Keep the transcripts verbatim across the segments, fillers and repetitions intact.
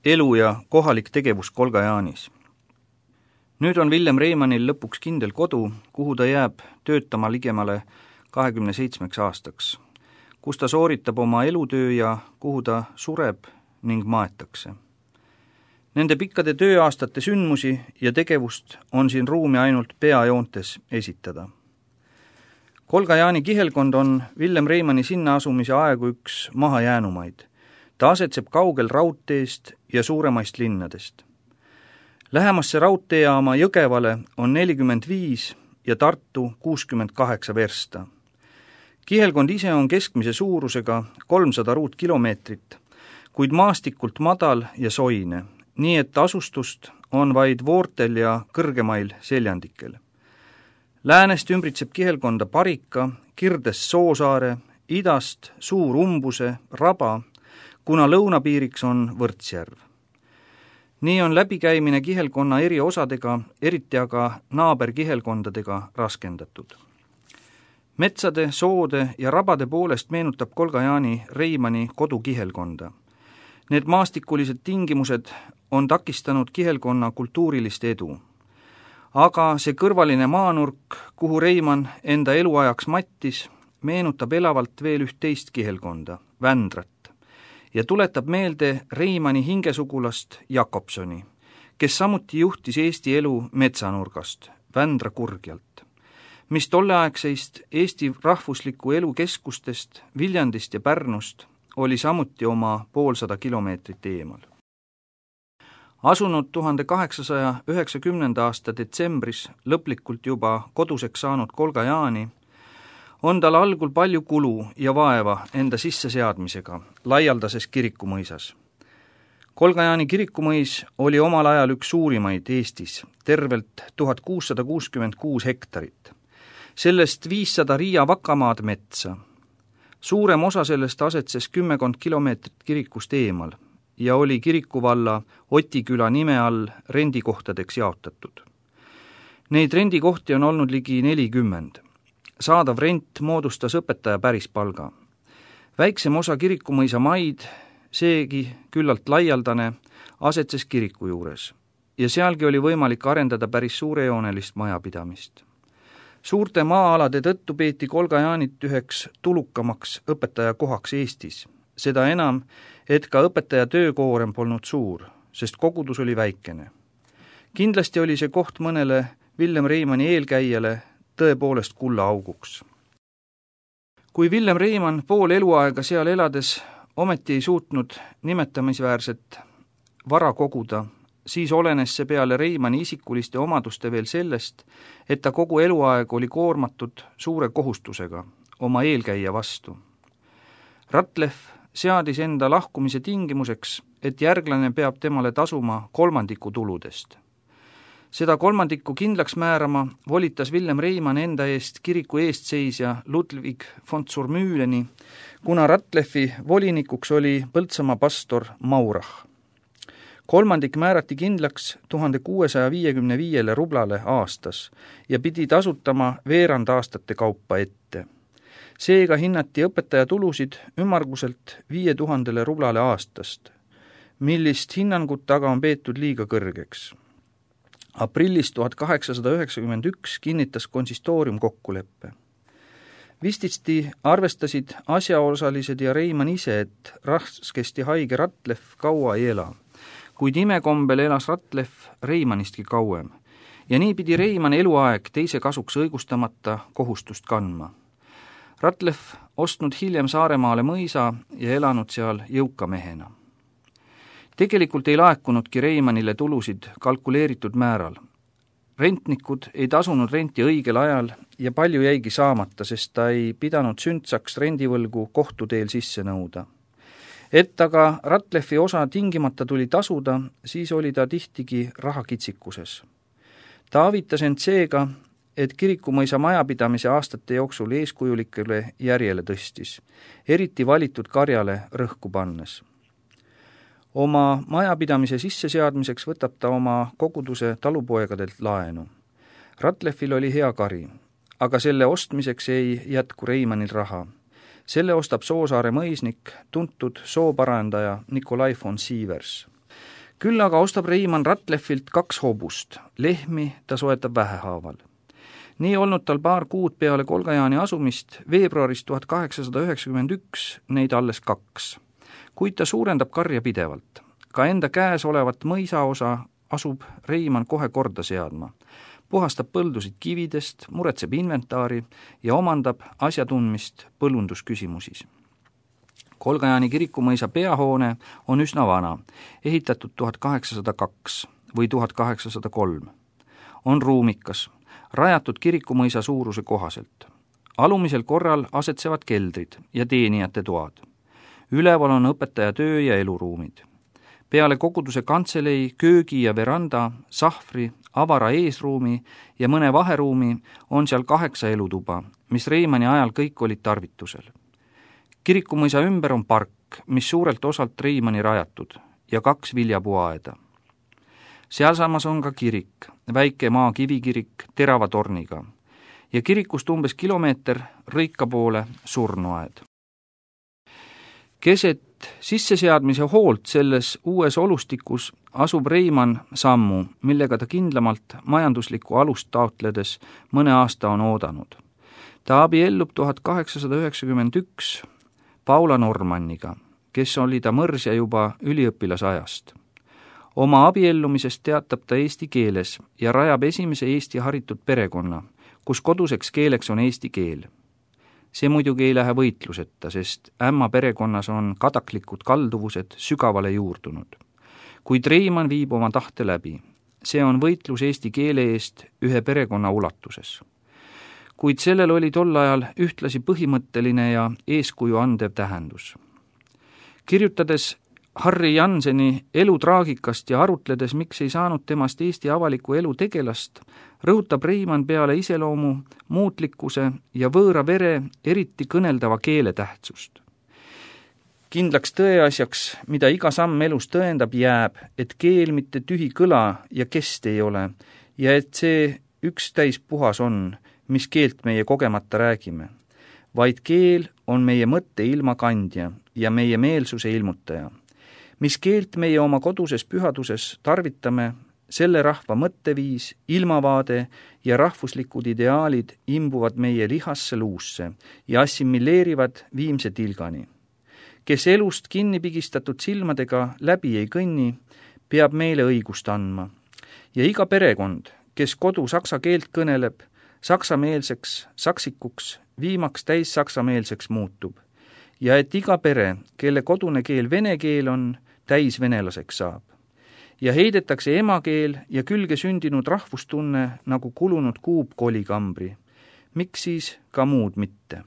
elu ja kohalik tegevus Kolga-Jaanis. Nüüd on Villem Reimannil lõpuks kindel kodu, kuhu ta jääb töötama ligemale kahekümne seitsmeks aastaks, kus ta sooritab oma elutöö ja kuhu ta sureb ning maetakse. Nende pikkade tööaastate sündmusi ja tegevust on siin ruumi ainult peajoontes esitada. Kolga-Jaani kihelkond on Villem Reimanni sinna asumise aegu üks mahajäänumaid. Ta asetseb kaugel raudteest ja suuremaist linnadest. Lähemasse raudteejaama Jõgevale on nelikümmend viis ja Tartu kuuskümmend kaheksa versta. Kihelkond ise on keskmise suurusega kolmsada ruutkilomeetrit, kuid maastikult madal ja soine, nii et asustust on vaid voortel ja kõrgemail seljandikel. Läänest ümbritseb kihelkonda Parika, Kirdes Soosaare, idast Suur Umbuse, Raba, kuna lõunapiiriks on Võrtsjärv. Nii on läbikäimine kihelkonna eri osadega, eriti aga naaberkihelkondadega raskendatud. Metsade, soode ja rabade poolest meenutab Kolga-Jaani Reimanni kodukihelkonda. Need maastikulised tingimused on takistanud kihelkonna kultuurilist edu. Aga see kõrvaline maanurk, kuhu Reimann enda eluajaks mattis, meenutab elavalt veel üht teist kihelkonda, Vändrat, ja tuletab meelde Reimanni hingesugulast Jakobsoni, kes samuti juhtis Eesti elu metsanurgast, Vändra kurgjalt, mis tolleaegseist Eesti rahvusliku elu keskustest, Viljandist ja Pärnust oli samuti oma poolsada kilomeetrit eemal. Asunud tuhande kaheksasaja üheksakümnenda aasta detsembris lõplikult juba koduseks saanud Kolga-Jaani, on tal algul palju kulu ja vaeva enda sisseseadmisega laialdases kirikumõisas. Kolga-Jaani kirikumõis oli omal ajal üks suurimaid Eestis, tervelt tuhat kuussada kuuskümmend kuus hektarit. Sellest viissada riia vakamaad metsa. Suurem osa sellest asetses kümmekond kilomeetrit kirikust eemal ja oli kirikuvalla Otiküla nime all rendikohtadeks jaotatud. Neid rendikohti on olnud ligi nelikümmend. Saadav rent moodustas õpetaja pärispalga. Väiksem osa kirikumõisa maid, seegi küllalt laialdane, asetses kiriku juures ja sealgi oli võimalik arendada päris suurejoonelist majapidamist. Suurte maa-alade tõttu peeti Kolga-Jaanit üheks tulukamaks õpetaja kohaks Eestis. Seda enam, et ka õpetaja töökoorem polnud suur, sest kogudus oli väikene. Kindlasti oli see koht mõnele Villem Reimanni eelkäijale tõepoolest kulla auguks. Kui Villem Reimann pool eluaega seal elades ometi ei suutnud nimetamisväärset vara koguda, siis olenes see peale Reimanni isikuliste omaduste veel sellest, et ta kogu eluaeg oli koormatud suure kohustusega oma eelkäija vastu. Ratlev seadis enda lahkumise tingimuseks, et järglane peab temale tasuma kolmandiku tuludest. Seda kolmandikku kindlaks määrama volitas Villem Reimann enda eest kiriku eestseisja Ludwig von Zurmühleni, kuna Ratlevi volinikuks oli Põltsamaa pastor Maurach. Kolmandik määrati kindlaks tuhande kuuesaja viiekümne viiele rublale aastas ja pidi tasutama veerand aastate kaupa ette. Seega hinnati õpetaja tulusid ümmarguselt viie tuhandele rublale aastast, millist hinnangut aga on peetud liiga kõrgeks. Aprillis tuhat kaheksasada üheksakümmend üks kinnitas konsistoorium kokkuleppe. Vististi arvestasid asjaosalised ja Reimann ise, et raskesti haige Ratlev kaua ei ela, kuid imekombel elas Ratlev Reimannistki kauem ja nii pidi Reimann eluaeg teise kasuks õigustamata kohustust kandma. Ratlev ostnud hiljem Saaremaale mõisa ja elanud seal jõuka mehena. Tegelikult ei laekunudki Reimannile tulusid kalkuleeritud määral. Rentnikud ei tasunud renti õigel ajal ja palju jäigi saamata, sest ta ei pidanud sündsaks rendivõlgu kohtuteel sisse nõuda. Et aga Ratlevi osa tingimata tuli tasuda, siis oli ta tihtigi rahakitsikuses. Ta avitas end seega, et kirikumõisa majapidamise aastate jooksul eeskujulikele järjele tõstis, eriti valitud karjale rõhku pannes. Oma majapidamise sisseseadmiseks võtab ta oma koguduse talupoegadelt laenu. Ratlevil oli hea kari, aga selle ostmiseks ei jätku Reimannil raha. Selle ostab Soosaare mõisnik, tuntud sooparandaja Nikolai von Sievers. Küll aga ostab Reimann Ratleffilt kaks hobust, lehmi ta soetab vähehaaval. Nii olnud tal paar kuud peale Kolgajaani asumist, veebruaris tuhat kaheksasada üheksakümmend üks neid alles kaks. Kuid ta suurendab karja pidevalt. Ka enda käes olevat mõisaosa asub Reimann kohe korda seadma. Puhastab põldusid kividest, muretseb inventaari ja omandab asjatundmist põllundusküsimusis. Kolgajaani kirikumõisa peahoone on üsna vana, ehitatud tuhat kaheksasada kaks või tuhat kaheksasada kolm. On ruumikas, rajatud kirikumõisa suuruse kohaselt. Alumisel korral asetsevad keldrid ja teenijate toad. Üleval on õpetaja töö ja eluruumid. Peale koguduse kantselei, köögi ja veranda, sahvri, avara eesruumi ja mõne vaheruumi on seal kaheksa elutuba, mis Reimanni ajal kõik olid tarvitusel. Kirikumõisa ümber on park, mis suurelt osalt Reimanni rajatud, ja kaks viljapuuaeda. Sealsamas on ka kirik, väike maa kivikirik terava torniga ja kirikust umbes kilomeeter Rõika poole surnuaed. Keset sisseseadmise hoolt selles uues olustikus asub Reimann sammu, millega ta kindlamalt majanduslikku alust taotledes mõne aasta on oodanud. Ta abiellub tuhat kaheksasada üheksakümmend üks Paula Normanniga, kes oli ta mõrsja juba üliõpilasajast. Oma abiellumisest teatab ta eesti keeles ja rajab esimese Eesti haritud perekonna, kus koduseks keeleks on eesti keel. See muidugi ei lähe võitluseta, sest ämma perekonnas on kadaklikud kalduvused sügavale juurdunud. Kuid Reimann viib oma tahte läbi. See on võitlus eesti keele eest ühe perekonna ulatuses. Kuid sellel oli tol ajal ühtlasi põhimõtteline ja eeskuju andev tähendus. Kirjutades Harri Janseni elu traagikast ja arutledes, miks ei saanud temast Eesti avaliku elu tegelast, rõhutab Reimann peale iseloomu, muutlikkuse ja võõra vere eriti kõneldava keele tähtsust. Kindlaks tõeasjaks, mida iga samm elus tõendab, jääb, et keel mitte tühi kõla ja kest ei ole ja et see üks täis puhas on, mis keelt meie kogemata räägime, vaid keel on meie mõtte ilma kandja ja meie meelsuse ilmutaja. Mis keelt meie oma koduses pühaduses tarvitame, selle rahva mõtteviis, ilmavaade ja rahvuslikud ideaalid imbuvad meie lihasse luusse ja assimileerivad viimse tilgani. Kes elust kinni pigistatud silmadega läbi ei kõnni, peab meile õigust andma. Ja iga perekond, kes kodu saksa keelt kõneleb, saksameelseks saksikuks, viimaks täis saksameelseks muutub. Ja et iga pere, kelle kodune keel vene keel on, täis venelaseks saab. Ja heidetakse emakeel ja külge sündinud rahvustunne nagu kulunud kuub kolikambri. Miks siis ka muud mitte?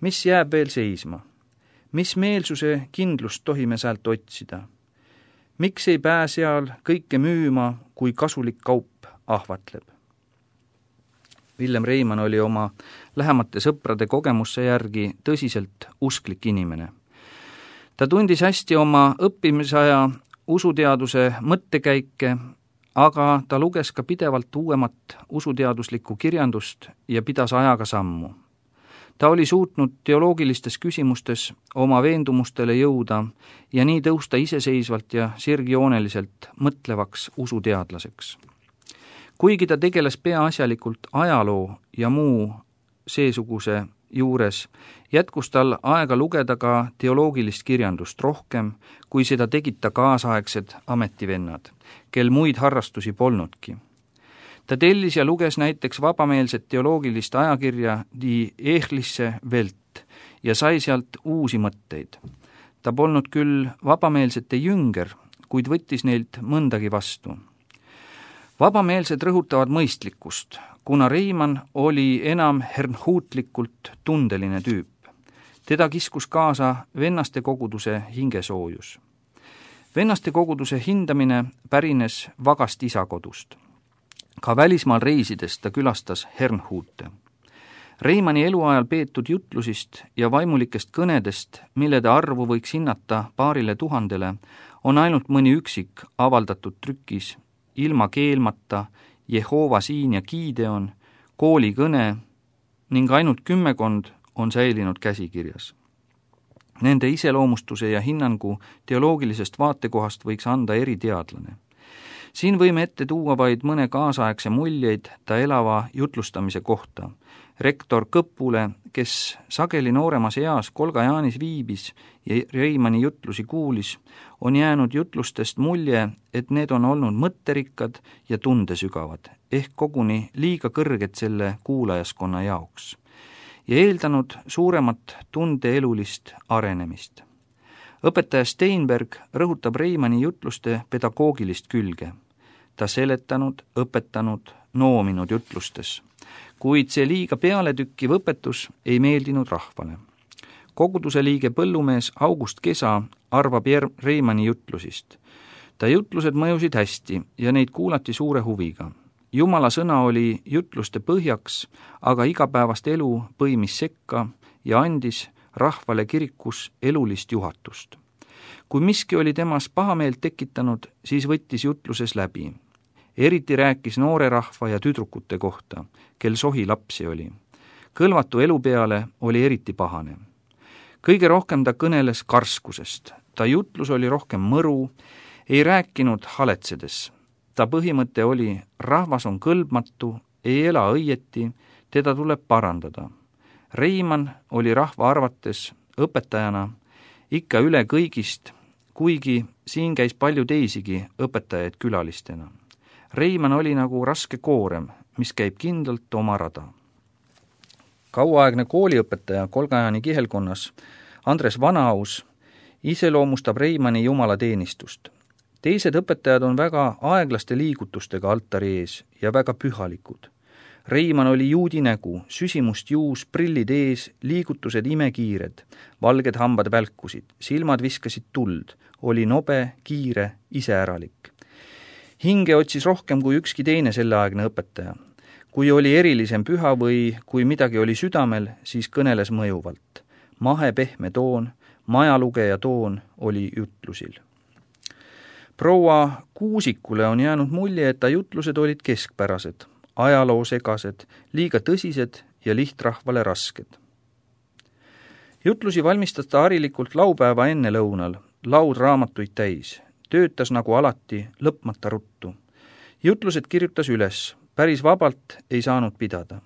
Mis jääb veel seisma? Mis meelsuse kindlust tohime sealt otsida? Miks ei pää seal kõike müüma, kui kasulik kaup ahvatleb? Villem Reimann oli oma lähemate sõprade kogemusse järgi tõsiselt usklik inimene. Ta tundis hästi oma õppimisaja usuteaduse mõttekäike, aga ta luges ka pidevalt uuemat usuteaduslikku kirjandust ja pidas ajaga sammu. Ta oli suutnud teoloogilistes küsimustes oma veendumustele jõuda ja nii tõusta iseseisvalt ja sirgjooneliselt mõtlevaks usuteadlaseks. Kuigi ta tegeles peaasjalikult ajaloo ja muu seesuguse juures, jätkus tal aega lugeda ka teoloogilist kirjandust rohkem, kui seda tegid ta kaasaegsed ametivennad, kel muid harrastusi polnudki. Ta tellis ja luges näiteks vabameelset teoloogilist ajakirja Die Ehrliche Welt ja sai sealt uusi mõtteid. Ta polnud küll vabameelsete jünger, kuid võttis neilt mõndagi vastu. Vabameelsed rõhutavad mõistlikkust, kuna Reimann oli enam hernhuutlikult tundeline tüüp. Teda kiskus kaasa vennaste koguduse hingesoojus. Vennaste koguduse hindamine pärines vagast isakodust. Ka välismaal reisides ta külastas Hernhuute. Reimanni eluajal peetud jutlusist ja vaimulikest kõnedest, mille ta arvu võiks hinnata paarile tuhandele, on ainult mõni üksik avaldatud trükis ilma keelmata, Jehova siin ja Gideon, koolikõne ning ainult kümmekond on säilinud käsikirjas. Nende iseloomustuse ja hinnangu teoloogilisest vaatekohast võiks anda eriteadlane. Siin võime ette tuua vaid mõne kaasaegse muljeid ta elava jutlustamise kohta. Rektor Kõpule, kes sageli nooremas eas Kolga-Jaanis viibis ja Reimanni jutlusi kuulis, on jäänud jutlustest mulje, et need on olnud mõtterikkad ja tundesügavad, ehk koguni liiga kõrged selle kuulajaskonna jaoks ja eeldanud suuremat tundeelulist arenemist. Õpetaja Steinberg rõhutab Reimanni jutluste pedagoogilist külge. Ta seletanud, õpetanud, noominud jutlustes, kuid see liiga pealetükkiv õpetus ei meeldinud rahvale. Koguduse liige põllumees August Kesa arvab Reimanni jutlusist. Ta jutlused mõjusid hästi ja neid kuulati suure huviga. Jumala sõna oli jutluste põhjaks, aga igapäevast elu põimis sekka ja andis rahvale kirikus elulist juhatust. Kui miski oli temas pahameelt tekitanud, siis võttis jutluses läbi. Eriti rääkis noore rahva ja tüdrukute kohta, kel sohi lapsi oli. Kõlvatu elu peale oli eriti pahane. Kõige rohkem ta kõneles karskusest. Ta jutlus oli rohkem mõru, ei rääkinud haletsedes. Ta põhimõte oli, rahvas on kõlbmatu, ei ela õieti, teda tuleb parandada. Reimann oli rahva arvates õpetajana ikka üle kõigist, kuigi siin käis palju teisigi õpetajaid külalistena. Reimann oli nagu raske koorem, mis käib kindlalt oma rada. Kauaaegne kooliõpetaja Kolga-Jaani kihelkonnas Andres Vanaus iseloomustab Reimanni jumalateenistust. Teised õpetajad on väga aeglaste liigutustega altari ees ja väga pühalikud. Reimann oli juudi nägu, süsimust juus, prillid ees, liigutused imekiired, valged hambad välkusid, silmad viskasid tuld, oli nobe, kiire, iseäralik. Hinge otsis rohkem kui ükski teine selleaegne õpetaja. Kui oli erilisem püha või kui midagi oli südamel, siis kõneles mõjuvalt. Mahe pehme toon, majalugeja toon oli jutlusil. Proua Kuusikule on jäänud mulje, et ta jutlused olid keskpärased, ajaloo segased, liiga tõsised ja lihtrahvale rasked. Jutlusi valmistas ta harilikult laupäeva enne lõunal, laud raamatuid täis, töötas nagu alati, lõpmata ruttu. Jutlused kirjutas üles, päris vabalt ei saanud pidada.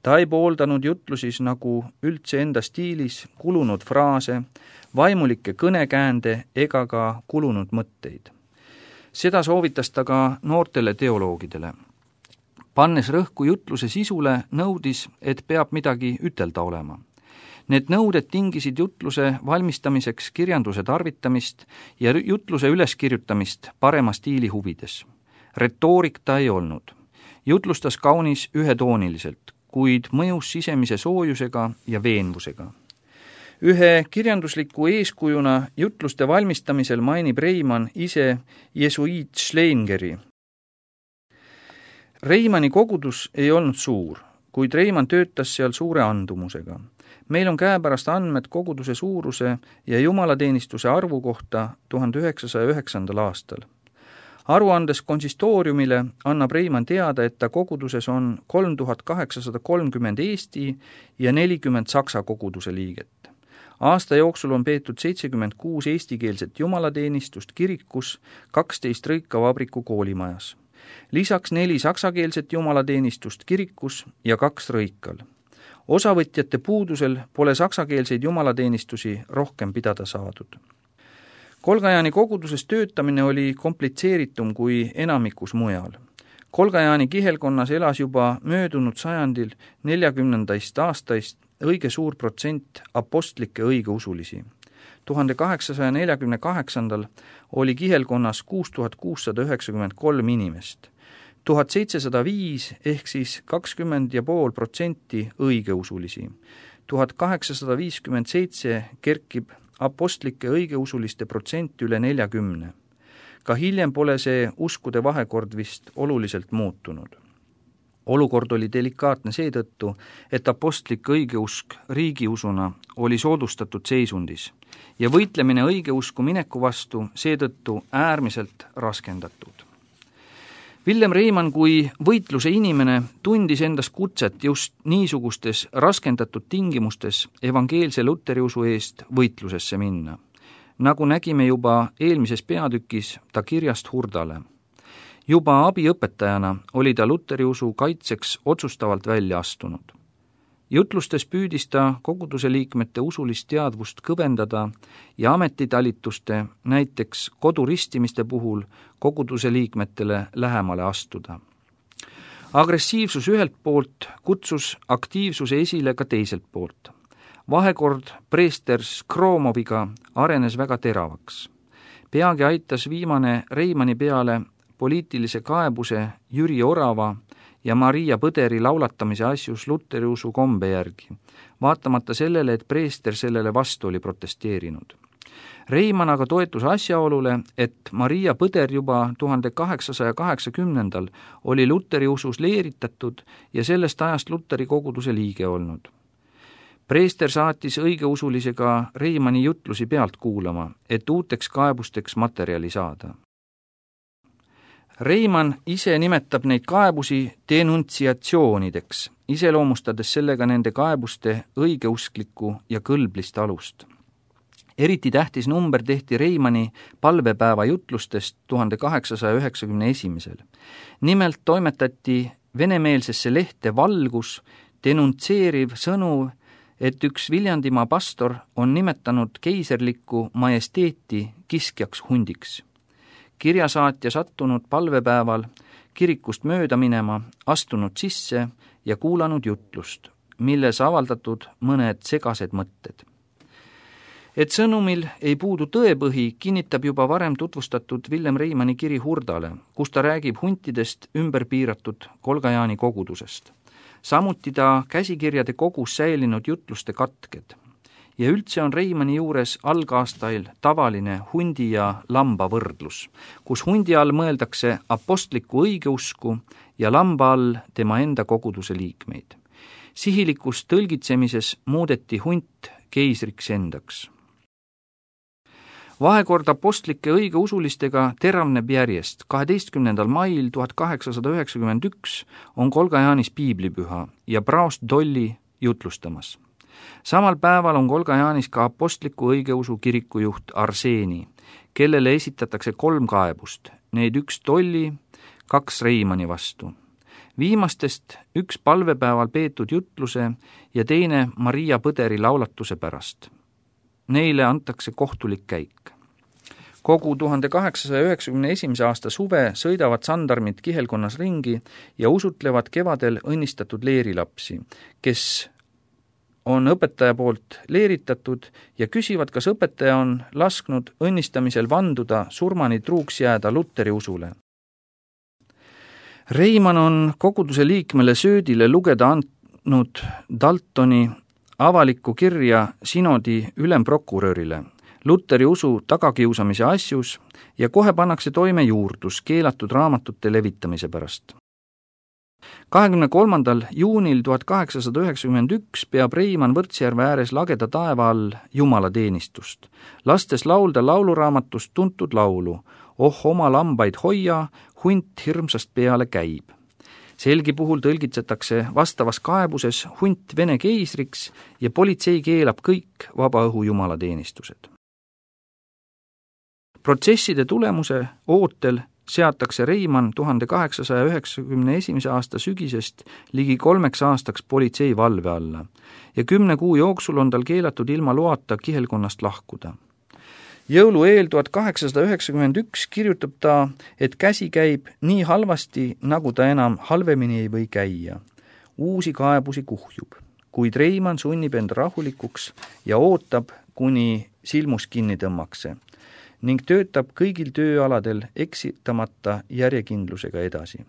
Ta ei pooldanud jutlusis nagu üldse enda stiilis kulunud fraase, vaimulikke kõnekäände ega ka kulunud mõtteid. Seda soovitas ta ka noortele teoloogidele. Pannes rõhku jutluse sisule, nõudis, et peab midagi ütelda olema. Need nõuded tingisid jutluse valmistamiseks kirjanduse tarvitamist ja jutluse üleskirjutamist parema stiili huvides. Retoorik ta ei olnud. Jutlustas kaunis ühetooniliselt, kuid mõjus sisemise soojusega ja veenvusega. Ühe kirjandusliku eeskujuna jutluste valmistamisel mainib Reimann ise jesuiit Schlengeri. Reimanni kogudus ei olnud suur, kuid Reimann töötas seal suure andumusega. Meil on käepärast andmed koguduse suuruse ja jumalateenistuse arvu kohta tuhande üheksasaja üheksandal aastal. Aruandes konsistooriumile annab Reimann teada, et ta koguduses on kolm tuhat kaheksasada kolmkümmend Eesti ja nelikümmend Saksa koguduse liiget. Aasta jooksul on peetud seitsekümmend kuus eestikeelset jumalateenistust kirikus, kaksteist Rõikavabriku koolimajas. Lisaks neli saksakeelset jumalateenistust kirikus ja kaks Rõikal. Osavõtjate puudusel pole saksakeelseid jumalateenistusi rohkem pidada saadud. Kolga-Jaani koguduses töötamine oli komplitseeritum kui enamikus mujal. Kolga-Jaani kihelkonnas elas juba möödunud sajandil neljakümnendaist aastaist õige suur protsent apostlikke õigeusulisi. tuhande kaheksasaja neljakümne kaheksandal oli kihelkonnas kuus tuhat kuussada üheksakümmend kolm inimest. tuhat seitsesada viis ehk siis kakskümmend ja pool protsenti õigeusulisi. tuhat kaheksasada viiskümmend seitse kerkib apostlike õigeusuliste protsent üle neljakümne. Ka hiljem pole see uskude vahekord vist oluliselt muutunud. Olukord oli delikaatne seetõttu, et apostlik õigeusk riigiusuna oli soodustatud seisundis ja võitlemine õigeusku mineku vastu seetõttu äärmiselt raskendatud. Villem Reimann kui võitluse inimene tundis endas kutset just niisugustes raskendatud tingimustes evangeelse luteriusu eest võitlusesse minna. Nagu nägime juba eelmises peatükis ta kirjast Hurdale. Juba abiõpetajana oli ta luteriusu kaitseks otsustavalt välja astunud. Jutlustes püüdis ta koguduse liikmete usulist teadvust kõvendada ja ametitalituste, näiteks koduristimiste puhul koguduse liikmetele lähemale astuda. Agressiivsus ühelt poolt kutsus aktiivsuse esile ka teiselt poolt. Vahekord preester Skromoviga arenes väga teravaks. Peagi aitas viimane Reimanni peale poliitilise kaebuse Jüri Orava ja Maria Põderi laulatamise asjus luteriusu kombe järgi, vaatamata sellele, et preester sellele vastu oli protesteerinud. Reimann aga toetus asjaolule, et Maria Põder juba tuhande kaheksasaja kaheksakümnendal oli luteriusus leeritatud ja sellest ajast Luteri koguduse liige olnud. Preester saatis õigeusulisega Reimanni jutlusi pealt kuulama, et uuteks kaebusteks materjali saada. Reimann ise nimetab neid kaebusi denuntsiatsioonideks, iseloomustades sellega nende kaebuste õigeusklikku ja kõlblist alust. Eriti tähtis number tehti Reimanni palvepäeva jutlustest tuhande kaheksasaja üheksakümne esimesel. Nimelt toimetati venemeelsesse lehte Valgus denuntseeriv sõnu, et üks Viljandimaa pastor on nimetanud keiserlikku majesteeti kiskjaks hundiks. Kirjasaatja sattunud palvepäeval kirikust mööda minema, astunud sisse ja kuulanud jutlust, milles avaldatud mõned segased mõtted. Et sõnumil ei puudu tõepõhi, kinnitab juba varem tutvustatud Villem Reimanni kiri Hurdale, kus ta räägib huntidest ümber piiratud Kolga-Jaani kogudusest. Samuti ta käsikirjade kogus säilinud jutluste katked. Ja üldse on Reimanni juures algaastail tavaline hundi ja lamba võrdlus, kus hundi all mõeldakse apostlikku õigeusku ja lamba all tema enda koguduse liikmeid. Sihilikus tõlgitsemises muudeti hunt keisriks endaks. Vahekord apostlike õigeusulistega teravneb järjest. kaheteistkümnendal mail tuhat kaheksasada üheksakümmend üks on Kolga-Jaanis piiblipüha ja praost Dolli jutlustamas. Samal päeval on Kolga-Jaanis ka apostliku õigeusu kirikujuht Arseeni, kellele esitatakse kolm kaebust, neid üks Tolli, kaks Reimanni vastu. Viimastest üks palvepäeval peetud jutluse ja teine Maria Põderi laulatuse pärast. Neile antakse kohtulik käik. Kogu tuhande kaheksasaja üheksakümne esimese aasta suve sõidavad sandarmid kihelkonnas ringi ja usutlevad kevadel õnnistatud leerilapsi, kes on õpetaja poolt leeritatud ja küsivad, kas õpetaja on lasknud õnnistamisel vanduda surmani truuks jääda Luteri usule. Reimann on koguduse liikmele Söödile lugeda andnud Daltoni avalikku kirja sinodi ülemprokurörile Luteri usu tagakiusamise asjus ja kohe pannakse toime juurdlus keelatud raamatute levitamise pärast. kahekümne kolmandal juunil tuhat kaheksasada üheksakümmend üks peab Reimann Võrtsjärve ääres lageda taeva all jumalateenistust, lastes laulda lauluraamatust tuntud laulu Oh oma lambaid hoia, hunt hirmsast peale käib. Selgi puhul tõlgitsetakse vastavas kaebuses hunt Vene keisriks ja politsei keelab kõik vabaõhu jumalateenistused. Protsesside tulemuse ootel seatakse Reimann tuhande kaheksasaja üheksakümne esimese aasta sügisest ligi kolmeks aastaks politsei valve alla ja kümne kuu jooksul on tal keelatud ilma loata kihelkonnast lahkuda. Jõulu eel tuhat kaheksasada üheksakümmend üks kirjutab ta, et käsi käib nii halvasti, nagu ta enam halvemini ei või käia. Uusi kaebusi kuhjub, kuid Reimann sunnib end rahulikuks ja ootab, kuni silmus kinni tõmmakse ning töötab kõigil tööaladel eksitamata järjekindlusega edasi.